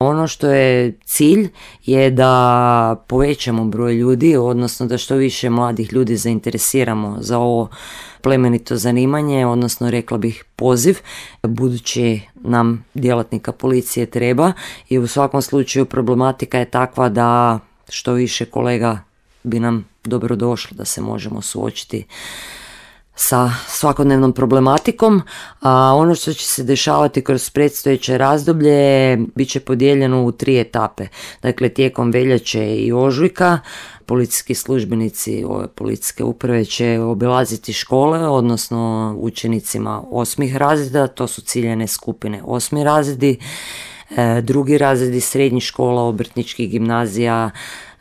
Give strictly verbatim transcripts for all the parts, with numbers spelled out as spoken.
Ono što je cilj je da povećamo broj ljudi, odnosno da što više mladih ljudi zainteresiramo za ovo plemenito zanimanje, odnosno rekla bih poziv, budući nam djelatnika policije treba i u svakom slučaju problematika je takva da što više kolega bi nam dobro došlo da se možemo suočiti sa svakodnevnom problematikom, a ono što će se dešavati kroz predstojeće razdoblje bit će podijeljeno u tri etape. Dakle, tijekom veljače i ožujka policijski službenici ove policijske uprave će obilaziti škole, odnosno učenicima osmih razreda, to su ciljane skupine osmi razredi, drugi razredi srednjih škola, obrtničkih gimnazija,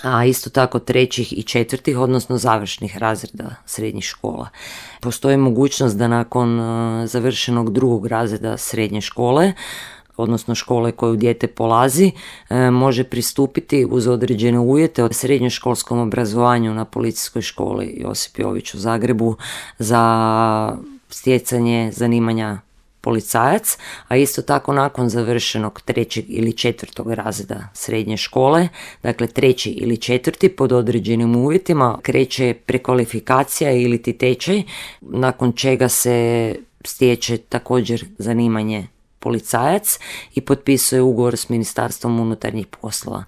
a isto tako trećih i četvrtih, odnosno završnih razreda srednjih škola. Postoji mogućnost da nakon završenog drugog razreda srednje škole, odnosno škole koju dijete polazi, može pristupiti uz određene uvjete od srednjoškolskom obrazovanju na Policijskoj školi Josip Jović u Zagrebu za stjecanje zanimanja policajac, a isto tako nakon završenog trećeg ili četvrtog razreda srednje škole, dakle treći ili četvrti pod određenim uvjetima, kreće prekvalifikacija ili ti tečaj, nakon čega se stječe također zanimanje policajac i potpisuje ugovor s Ministarstvom unutarnjih poslova.